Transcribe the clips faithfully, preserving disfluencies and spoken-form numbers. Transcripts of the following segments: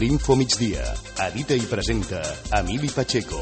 L'Info Migdia. Edita i presenta Emili Pacheco.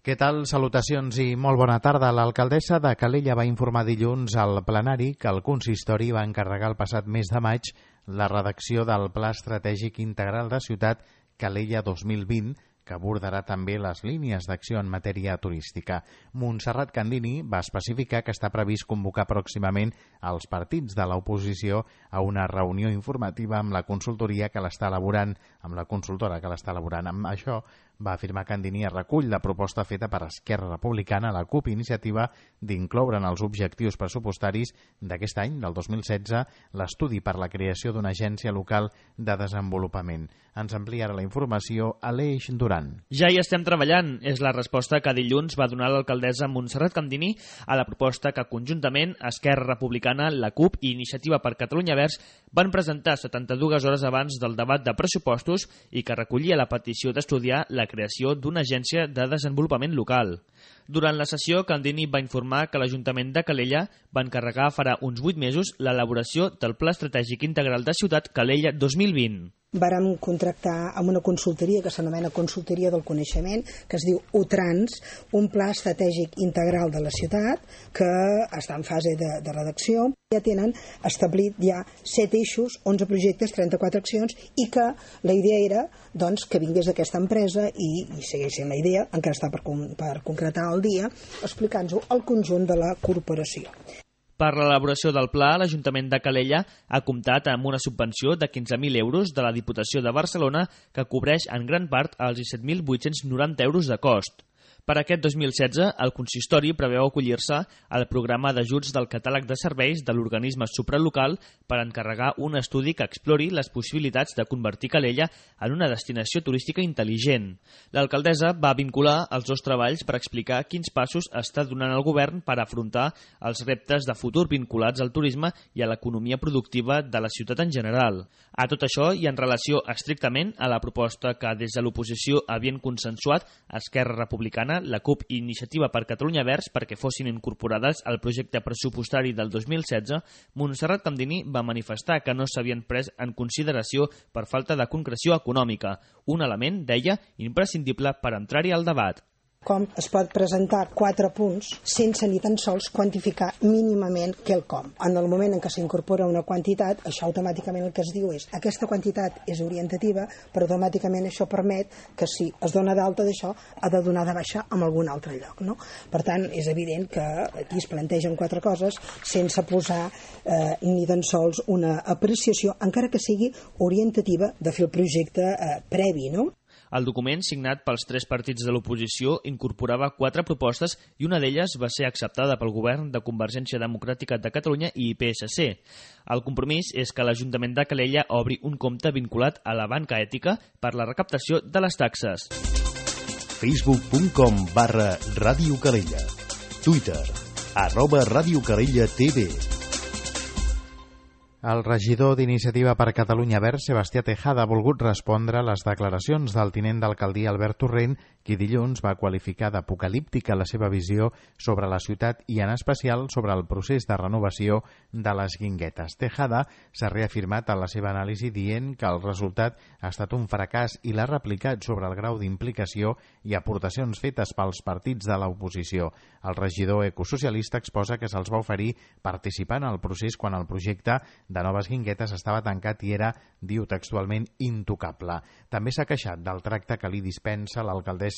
Què tal? Salutacions i molt bona tarda. L'alcaldessa de Calella va informar dilluns al plenari que el consistori va encarregar el passat mes de maig la redacció del Pla Estratègic Integral de Ciutat Calella dos mil vint, que abordarà també les línies d'acció en matèria turística. Montserrat Candini va especificar que està previst convocar pròximament els partits de l'oposició a una reunió informativa amb la consultoria que l'està elaborant, amb la consultora que l'està elaborant. Amb això, va afirmar Candini, es recull la proposta feta per Esquerra Republicana, la CUP, iniciativa d'incloure en els objectius pressupostaris d'aquest any, del dos mil setze, l'estudi per la creació d'una agència local de desenvolupament. Ens amplia ara la informació Aleix Duran. Ja hi estem treballant, és la resposta que dilluns va donar l'alcaldessa Montserrat Candini a la proposta que conjuntament Esquerra Republicana, la CUP i Iniciativa per Catalunya Verds van presentar setanta-dues hores abans del debat de pressupostos i que recollia la petició d'estudiar la creació d'una agència de desenvolupament local. Durant la sessió, Candini va informar que l'Ajuntament de Calella va encarregar farà uns vuit mesos l'elaboració del Pla Estratègic Integral de Ciutat Calella dos mil vint. Vàrem contractar amb una consultoria que s'anomena Consultoria del Coneixement, que es diu UTrans, un pla estratègic integral de la ciutat que està en fase de, de redacció. Ja tenen establit ja set eixos, onze projectes, trenta-quatre accions, i que la idea era doncs, que vingués d'aquesta empresa i, i segueix sent la idea, encara està per, per concretar el dia, explicant-ho al conjunt de la corporació. Per l'elaboració del pla, l'Ajuntament de Calella ha comptat amb una subvenció de quinze mil euros de la Diputació de Barcelona que cobreix en gran part els disset mil vuit-cents noranta euros de cost. Per aquest dos mil setze, el consistori preveu acollir-se al programa d'ajuts del catàleg de serveis de l'organisme supralocal per encarregar un estudi que explori les possibilitats de convertir Calella en una destinació turística intel·ligent. L'alcaldessa va vincular els dos treballs per explicar quins passos està donant el govern per afrontar els reptes de futur vinculats al turisme i a l'economia productiva de la ciutat en general. A tot això i en relació estrictament a la proposta que des de l'oposició havien consensuat Esquerra Republicana, la CUP i Iniciativa per Catalunya Verds perquè fossin incorporades al projecte pressupostari del dos mil setze, Montserrat Candini va manifestar que no s'havien pres en consideració per falta de concreció econòmica, un element, deia, imprescindible per entrar-hi al debat. Com es pot presentar quatre punts sense ni tan sols quantificar mínimament quelcom. En el moment en què s'incorpora una quantitat, això automàticament el que es diu és aquesta quantitat és orientativa, però automàticament això permet que si es dona d'alta d'això, ha de donar de baixa en algun altre lloc. No? Per tant, és evident que aquí es plantegen quatre coses sense posar eh, ni tan sols una apreciació, encara que sigui orientativa, de fer el projecte eh, previ, no? El document, signat pels tres partits de l'oposició, incorporava quatre propostes i una d'elles va ser acceptada pel govern de Convergència Democràtica de Catalunya i P S C. El compromís és que l'Ajuntament de Calella obri un compte vinculat a la banca ètica per la recaptació de les taxes. facebook punt com barra Ràdio Calella. Twitter, arroba Ràdio Calella T V. El regidor d'Iniciativa per Catalunya Verds, Sebastià Tejada, ha volgut respondre a les declaracions del tinent d'alcaldia Albert Torrent, qui dilluns va qualificar d'apocalíptica la seva visió sobre la ciutat i en especial sobre el procés de renovació de les Guinguetes. Tejada s'ha reafirmat en la seva anàlisi dient que el resultat ha estat un fracàs i l'ha replicat sobre el grau d'implicació i aportacions fetes pels partits de l'oposició. El regidor ecosocialista exposa que se'ls va oferir participar en el procés quan el projecte de Noves Guinguetes estava tancat i era, diu textualment, intocable. També s'ha queixat del tracte que li dispensa l'alcaldessa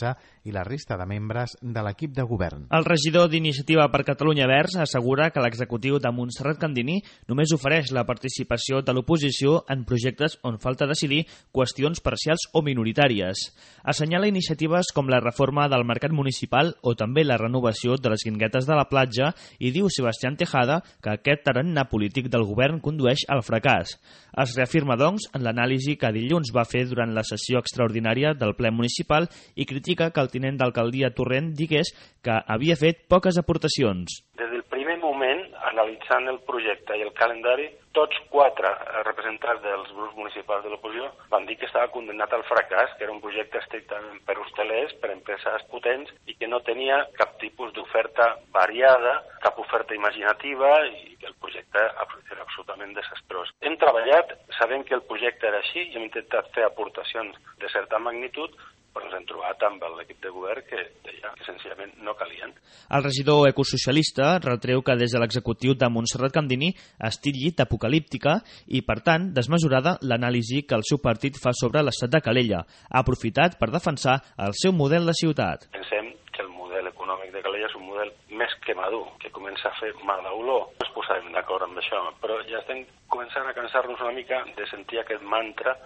i la resta de membres de l'equip de govern. El regidor d'Iniciativa per Catalunya Verds assegura que l'executiu de Montserrat Candini només ofereix la participació de l'oposició en projectes on falta decidir qüestions parcials o minoritàries. Assenyala iniciatives com la reforma del mercat municipal o també la renovació de les Guinguetes de la platja i diu Sebastià Tejada que aquest tarannà polític del govern condueix al fracàs. Es reafirma, doncs, en l'anàlisi que dilluns va fer durant la sessió extraordinària del ple municipal i critica que el tinent d'alcaldia Torrent digués que havia fet poques aportacions. Des del primer moment, analitzant el projecte i el calendari, tots quatre representants dels grups municipals de l'oposició van dir que estava condemnat al fracàs, que era un projecte estrictament per hostalers, per empreses potents i que no tenia cap tipus d'oferta variada, cap oferta imaginativa i que el projecte era absolutament desastrós. Hem treballat sabent que el projecte era així, hem intentat fer aportacions de certa magnitud, però ens hem trobat amb l'equip de govern que deia que senzillament no calien. El regidor ecosocialista retreu que des de l'executiu de Montserrat Candini es titlli d'apocalíptica i, per tant, desmesurada l'anàlisi que el seu partit fa sobre l'estat de Calella. Ha aprofitat per defensar el seu model de ciutat. Pensem que el model econòmic de Calella és un model més que madur, que comença a fer mala olor. No ens posarem d'acord amb això, però ja estem començant a cansar-nos una mica de sentir aquest mantra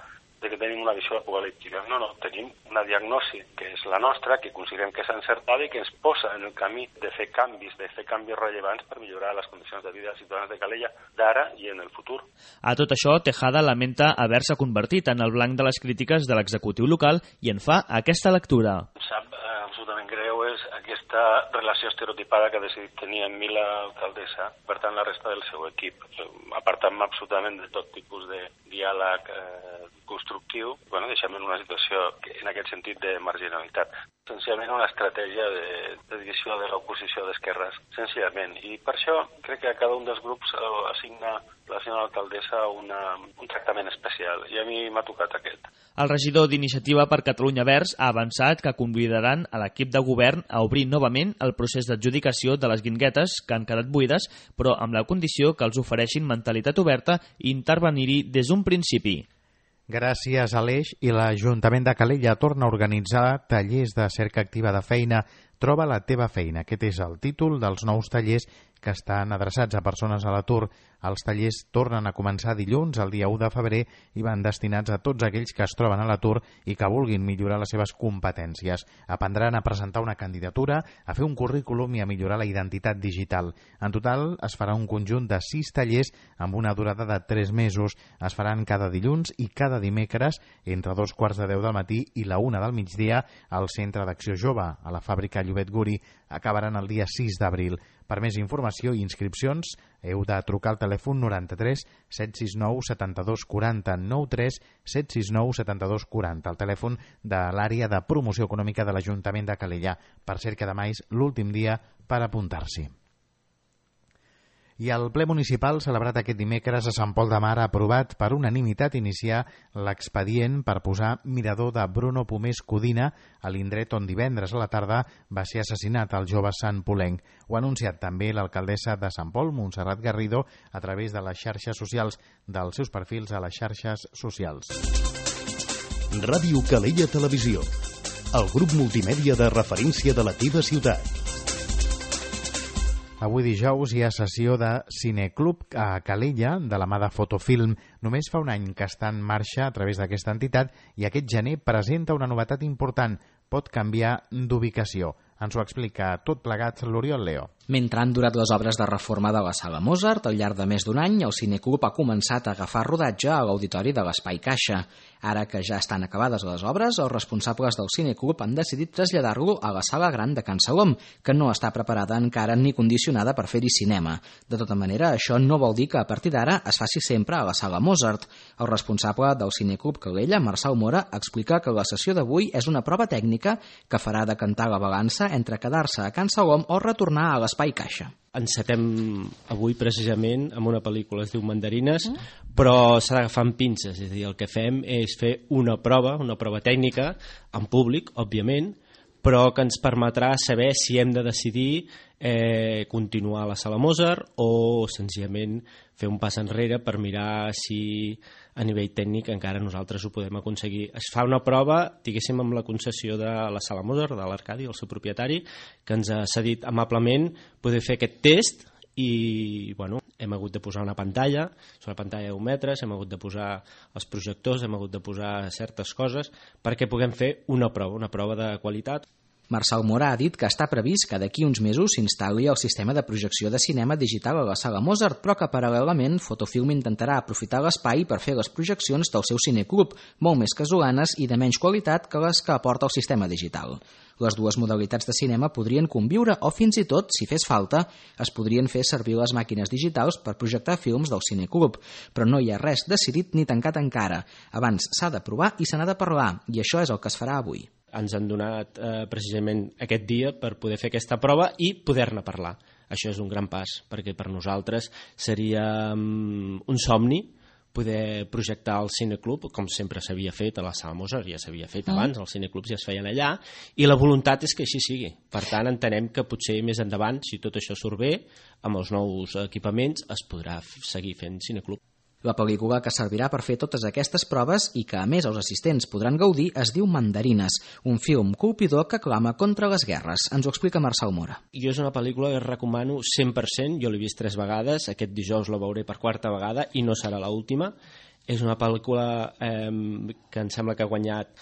de que tenim una visió apocalíptica. No, no, tenim una diagnosi que és la nostra, que considerem que és encertada i que ens posa en el camí de fer canvis, de fer canvis rellevants per millorar les condicions de vida dels ciutadans de Calella d'ara i en el futur. A tot això, Tejada lamenta haver-se convertit en el blanc de les crítiques de l'executiu local i en fa aquesta lectura. Sap, eh, absolutament greu és aquesta relació estereotipada que ha decidit tenir amb mi l'alcaldessa, per tant la resta del seu equip, apartant-me absolutament de tot tipus de diàleg eh, constructiu, bueno, deixem en una situació que, en aquest sentit de marginalitat. Senzillament una estratègia de, de divisió de l'oposició d'esquerres, senzillament. I per això crec que a cada un dels grups assigna la senyora alcaldessa una, un tractament especial, i a mi m'ha tocat aquest. El regidor d'Iniciativa per Catalunya Verds ha avançat que convidaran a l'equip de govern a obrir novament el procés d'adjudicació de les guinguetes que han quedat buides, però amb la condició que els ofereixin mentalitat oberta i intervenir-hi des d'un principi. Gràcies a l'Eix i l'Ajuntament de Calella torna a organitzar tallers de cerca activa de feina. Troba la teva feina. Aquest és el títol dels nous tallers que estan adreçats a persones a l'atur. Els tallers tornen a començar dilluns, el dia u de febrer, i van destinats a tots aquells que es troben a l'atur i que vulguin millorar les seves competències. Aprendran a presentar una candidatura, a fer un currículum i a millorar la identitat digital. En total es farà un conjunt de sis tallers amb una durada de tres mesos. Es faran cada dilluns i cada dimecres entre dos quarts de deu del matí i la una del migdia al Centre d'Acció Jove, a la fàbrica Llobet Guri. Acabaran el dia sis d'abril. Per més informació i inscripcions heu de trucar al telèfon noranta-tres set sis nou setanta-dos quaranta noranta-tres set sis nou setanta-dos quaranta, el telèfon de l'àrea de promoció econòmica de l'Ajuntament de Calella. Per cert que demà és l'últim dia per apuntar-s'hi. I el ple municipal celebrat aquest dimecres a Sant Pol de Mar ha aprovat per unanimitat iniciar l'expedient per posar mirador de Bruno Pomés Codina a l'indret on divendres a la tarda va ser assassinat el jove santpolenc. Ho ha anunciat també l'alcaldessa de Sant Pol, Montserrat Garrido, a través de les xarxes socials, dels seus perfils a les xarxes socials. Ràdio Calella Televisió, el grup multimèdia de referència de la teva ciutat. Avui dijous hi ha sessió de Cineclub a Calella, de la mà de Fotofilm. Només fa un any que està en marxa a través d'aquesta entitat i aquest gener presenta una novetat important. Pot canviar d'ubicació. Ens ho explica tot plegat l'Oriol Leo. Mentre han durat les obres de reforma de la Sala Mozart, al llarg de més d'un any, el Cineclub ha començat a agafar rodatge a l'auditori de l'Espai Caixa. Ara que ja estan acabades les obres, els responsables del Cineclub han decidit traslladar-lo a la Sala Gran de Can Salom, que no està preparada encara ni condicionada per fer-hi cinema. De tota manera, això no vol dir que a partir d'ara es faci sempre a la Sala Mozart. El responsable del Cineclub Calella, Marçal Mora, explica que la sessió d'avui és una prova tècnica que farà decantar la balança entre quedar-se a Can Salom o retornar a l'Espai Caixa. Encetem avui precisament amb una pel·lícula, es diu Mandarines, mm. però s'ha d'agafar amb pinces, és a dir, el que fem és fer una prova, una prova tècnica, en públic, òbviament, però que ens permetrà saber si hem de decidir eh, continuar a la Sala Mozart o senzillament fer un pas enrere per mirar si a nivell tècnic encara nosaltres ho podem aconseguir. Es fa una prova, diguéssim, amb la concessió de la Sala Mozart, de l'Arcadi, el seu propietari, que ens ha cedit amablement poder fer aquest test i bueno, hem hagut de posar una pantalla, és una pantalla d'un metre, hem hagut de posar els projectors, hem hagut de posar certes coses perquè puguem fer una prova, una prova de qualitat. Marçal Mora ha dit que està previst que d'aquí uns mesos s'instal·li el sistema de projecció de cinema digital a la Sala Mozart, però que paral·lelament Fotofilm intentarà aprofitar l'espai per fer les projeccions del seu cineclub, molt més casolanes i de menys qualitat que les que aporta el sistema digital. Les dues modalitats de cinema podrien conviure o fins i tot, si fes falta, es podrien fer servir les màquines digitals per projectar films del cineclub, però no hi ha res decidit ni tancat encara. Abans s'ha de provar i se n'ha de parlar, i això és el que es farà avui. Ens han donat eh, precisament aquest dia per poder fer aquesta prova i poder-ne parlar. Això és un gran pas, perquè per nosaltres seria um, un somni poder projectar al cineclub, com sempre s'havia fet a la Sala Mozart, ja s'havia fet abans, els cineclubs ja es feien allà, i la voluntat és que així sigui. Per tant, entenem que potser més endavant, si tot això surt bé, amb els nous equipaments es podrà seguir fent cineclub. La pel·lícula que servirà per fer totes aquestes proves i que a més els assistents podran gaudir es diu Mandarines, un film colpidor que clama contra les guerres. Ens ho explica Marçal Mora. Jo és una pel·lícula que recomano cent per cent, jo l'he vist tres vegades, aquest dijous la veuré per quarta vegada i no serà l'última. És una pel·lícula eh, que em sembla que ha guanyat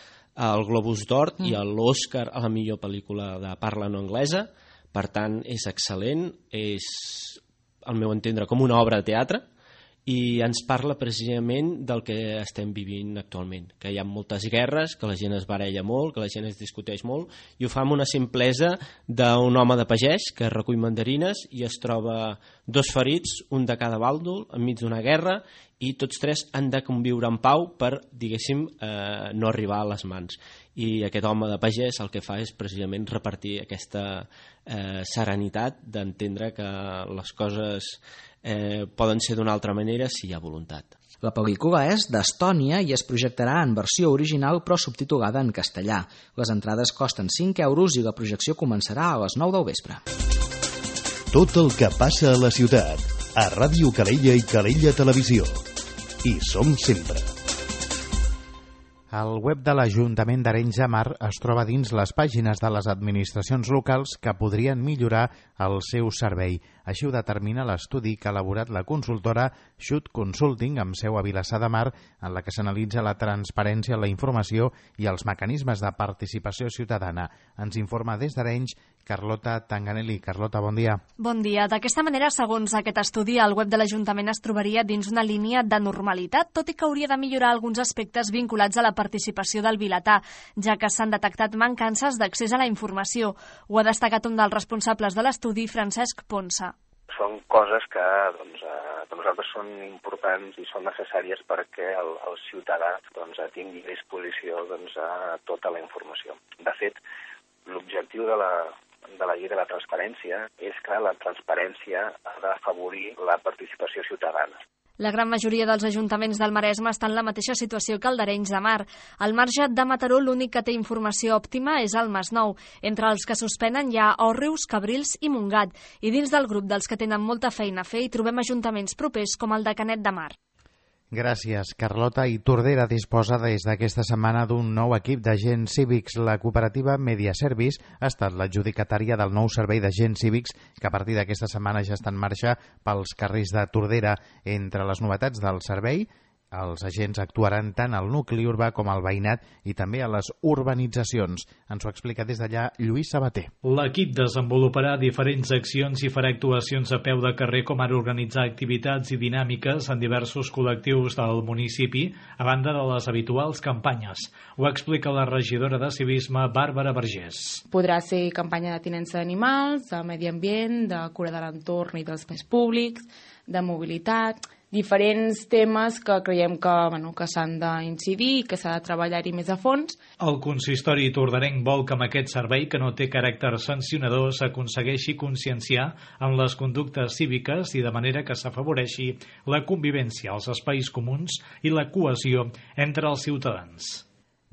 el Globus d'Or mm. i l'Oscar a la millor pel·lícula de parla no anglesa, per tant és excel·lent, és al meu entendre com una obra de teatre, i ens parla precisament del que estem vivint actualment, que hi ha moltes guerres, que la gent es baralla molt, que la gent es discuteix molt, i ho fa amb una simplesa d'un home de pagès que recull mandarines i es troba dos ferits, un de cada bàndol, enmig d'una guerra, i tots tres han de conviure en pau per, diguéssim, eh, no arribar a les mans. I aquest home de pagès el que fa és precisament repartir aquesta eh, serenitat d'entendre que les coses eh, poden ser d'una altra manera si hi ha voluntat. La pel·lícula és d'Estònia i es projectarà en versió original però subtitulada en castellà. Les entrades costen cinc euros i la projecció començarà a les nou del vespre. Tot el que passa a la ciutat, a Ràdio Calella i Calella Televisió. Hi som sempre. El web de l'Ajuntament d'Arenys de Mar es troba dins les pàgines de les administracions locals que podrien millorar el seu servei. Així ho determina l'estudi que ha elaborat la consultora Xut Consulting amb seu a Vilassar de Mar, en la que s'analitza la transparència, la informació i els mecanismes de participació ciutadana. Ens informa des d'Arenys Carlota Tanganelli. Carlota, bon dia. Bon dia. D'aquesta manera, segons aquest estudi, el web de l'Ajuntament es trobaria dins una línia de normalitat, tot i que hauria de millorar alguns aspectes vinculats a la participació del vilatà, ja que s'han detectat mancances d'accés a la informació. Ho ha destacat un dels responsables de l'estudi, Francesc Ponsa. Són coses que doncs, eh, per nosaltres són importants i són necessàries perquè el, el ciutadà doncs, tingui a disposició doncs, tota la informació. De fet, l'objectiu de la, de la llei de la transparència és que la transparència ha d'afavorir la participació ciutadana. La gran majoria dels ajuntaments del Maresme estan en la mateixa situació que el d'Arenys de Mar. Al marge de Mataró, l'únic que té informació òptima és el Masnou. Entre els que suspenen hi ha Òrrius, Cabrils i Montgat. I dins del grup dels que tenen molta feina a fer hi trobem ajuntaments propers com el de Canet de Mar. Gràcies, Carlota. I Tordera disposa des d'aquesta setmana d'un nou equip d'agents cívics. La cooperativa Media Service ha estat l'adjudicatària del nou servei d'agents cívics que a partir d'aquesta setmana ja està en marxa pels carrers de Tordera. Entre les novetats del servei, els agents actuaran tant al nucli urbà com al veïnat i també a les urbanitzacions. Ens ho explica des d'allà Lluís Sabater. L'equip desenvoluparà diferents accions i farà actuacions a peu de carrer, com ara organitzar activitats i dinàmiques en diversos col·lectius del municipi, a banda de les habituals campanyes. Ho explica la regidora de Civisme, Bàrbara Vergés. Podrà ser campanya de tinença d'animals, de medi ambient, de cura de l'entorn i dels espais públics, de mobilitat, diferents temes que creiem que, bueno, que s'han d'incidir i que s'ha de treballar-hi més a fons. El consistori tordarenc vol que amb aquest servei, que no té caràcter sancionador, s'aconsegueixi conscienciar en les conductes cíviques i de manera que s'afavoreixi la convivència, els espais comuns i la cohesió entre els ciutadans.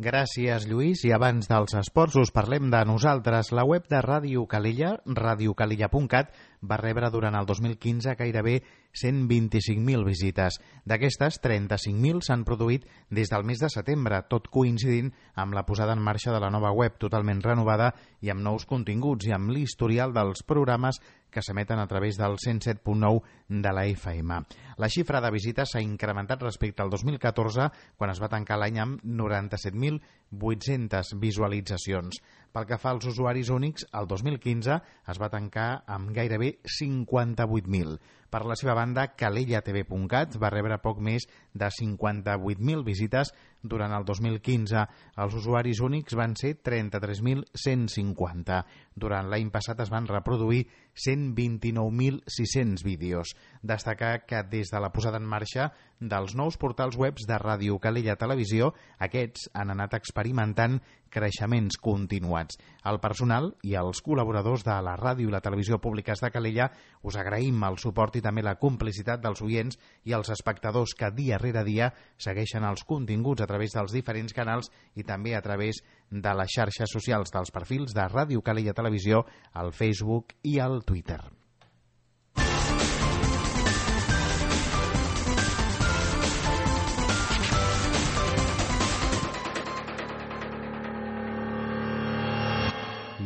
Gràcies, Lluís. I abans dels esports us parlem de nosaltres. La web de Ràdio Calella, radio calella punt cat, va rebre durant el dos mil quinze gairebé cent vint-i-cinc mil visites. D'aquestes, trenta-cinc mil s'han produït des del mes de setembre, tot coincidint amb la posada en marxa de la nova web totalment renovada i amb nous continguts i amb l'historial dels programes que s'emeten a través del cent set punt nou de la F M. La xifra de visites s'ha incrementat respecte al dos mil catorze, quan es va tancar l'any amb noranta-set mil vuit-centes visualitzacions. Pel que fa als usuaris únics, el dos mil quinze es va tancar amb gairebé cinquanta-vuit mil. Per la seva banda, calella t v punt cat va rebre poc més de cinquanta-vuit mil visites durant el dos mil quinze. Els usuaris únics van ser trenta-tres mil cent cinquanta. Durant l'any passat es van reproduir cent vint-i-nou mil sis-cents vídeos. Destacar que des de la posada en marxa dels nous portals webs de Ràdio Calella Televisió, aquests han anat experimentant creixements continuats. informats. El personal i els col·laboradors de la ràdio i la televisió públiques de Calella us agraïm el suport i també la complicitat dels oients i els espectadors que dia rere dia segueixen els continguts a través dels diferents canals i també a través de les xarxes socials dels perfils de Ràdio Calella Televisió, al Facebook i al Twitter.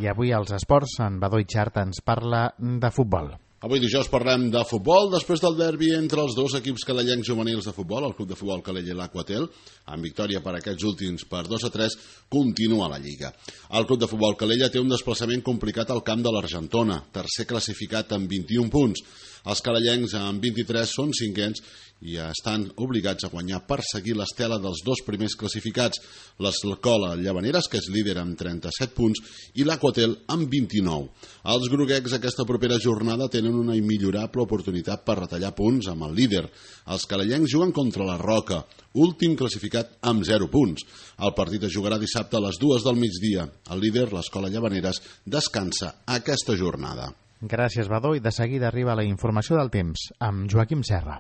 I avui als esports, en Badó Itxart ens parla de futbol. Avui dijous parlem de futbol, després del derbi entre els dos equips calellencs juvenils de futbol, el Club de Futbol Calella i l'Aquatel, amb victòria per aquests últims per dos a tres, continua la Lliga. El Club de Futbol Calella té un desplaçament complicat al camp de l'Argentona, tercer classificat amb vint-i-un punts. Els calellencs amb vint-i-tres són cinquens i estan obligats a guanyar per seguir l'estela dels dos primers classificats, l'Escola Llavaneres, que és líder amb trenta-set punts, i l'Aquatel amb vint-i-nou. Els groguecs aquesta propera jornada tenen una immillorable oportunitat per retallar punts amb el líder. Els calellencs juguen contra la Roca, últim classificat amb zero punts. El partit es jugarà dissabte a les dues del migdia. El líder, l'Escola Llavaneres, descansa aquesta jornada. Gràcies, Badó, i de seguida arriba la informació del temps amb Joaquim Serra.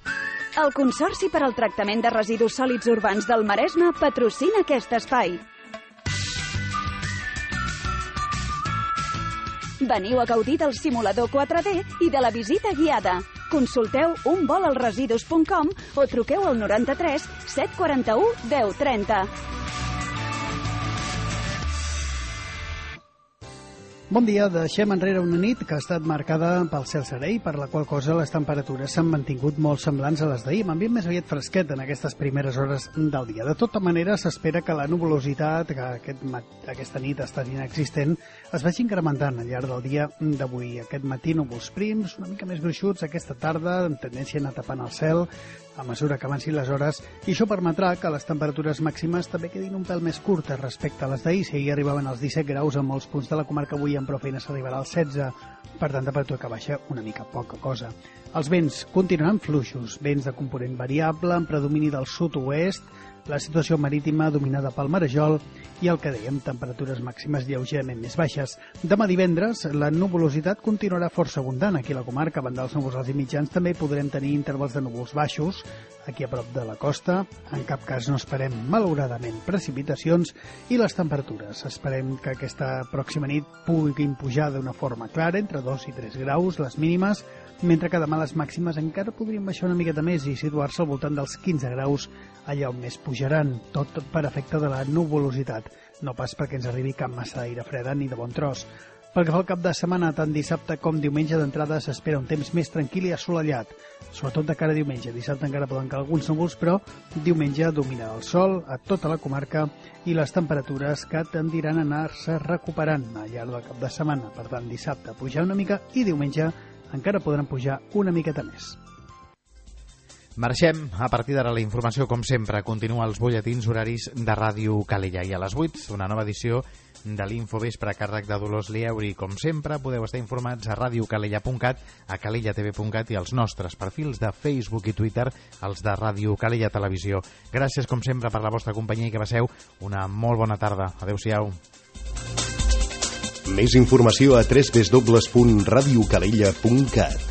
El Consorci per al Tractament de Residus Sòlids Urbans del Maresme patrocina aquest espai. Veniu a gaudir del simulador quatre D i de la visita guiada. Consulteu un vol al residus punt com o truqueu al noranta-tres set quaranta-u deu trenta. Bon dia, deixem enrere una nit que ha estat marcada pel cel serè, per la qual cosa les temperatures s'han mantingut molt semblants a les d'ahir, amb ambient més aviat fresquet en aquestes primeres hores del dia. De tota manera, s'espera que la nuvolositat, que aquest mat aquesta nit ha estat inexistent, es vagi incrementant al llarg del dia d'avui. Aquest matí núvols prims, una mica més gruixuts aquesta tarda, amb tendència a anar tapant el cel a mesura que avancin les hores, i això permetrà que les temperatures màximes també quedin un pèl més curtes respecte a les d'ahir. Si ahir arribaven als disset graus en molts punts de la comarca, avui amb prou feina s'arribarà als setze, per tant, temperatura que baixa una mica, poca cosa. Els vents continuaran fluixos, vents de component variable, amb predomini del sud-oest, la situació marítima dominada pel marejol i el que dèiem, temperatures màximes lleugerament més baixes. Demà divendres, la nuvolositat continuarà força abundant aquí a la comarca. A banda dels núvols alts i mitjans, també podrem tenir intervals de núvols baixos aquí a prop de la costa. En cap cas no esperem, malauradament, precipitacions, i les temperatures. Esperem que aquesta pròxima nit puguin pujar d'una forma clara, entre dos i tres graus, les mínimes, mentre que demà les màximes encara podrien baixar una miqueta més i situar-se al voltant dels quinze graus, allà on més pujaran, tot per efecte de la nuvolositat, no pas perquè ens arribi cap massa d'aire freda ni de bon tros. Pel que fa al cap de setmana, tant dissabte com diumenge d'entrada s'espera un temps més tranquil i assolellat, sobretot de cara a diumenge. Dissabte encara poden caure alguns núvols, però diumenge dominarà el sol a tota la comarca i les temperatures que tendiran a anar-se recuperant al llarg del cap de setmana. Per tant, dissabte pujar una mica i diumenge encara podran pujar una miqueta més. Marxem. A partir d'ara la informació, com sempre, continua als butlletins horaris de Ràdio Calella. I a les vuit, una nova edició de l'Infovespre a càrrec de Dolors Lieuri. Com sempre, podeu estar informats a radiocalella punt cat, a calella t v punt cat i als nostres perfils de Facebook i Twitter, els de Ràdio Calella Televisió. Gràcies, com sempre, per la vostra companyia i que passeu una molt bona tarda. Adéu-siau. Més informació a w w w punt radiocalella punt cat.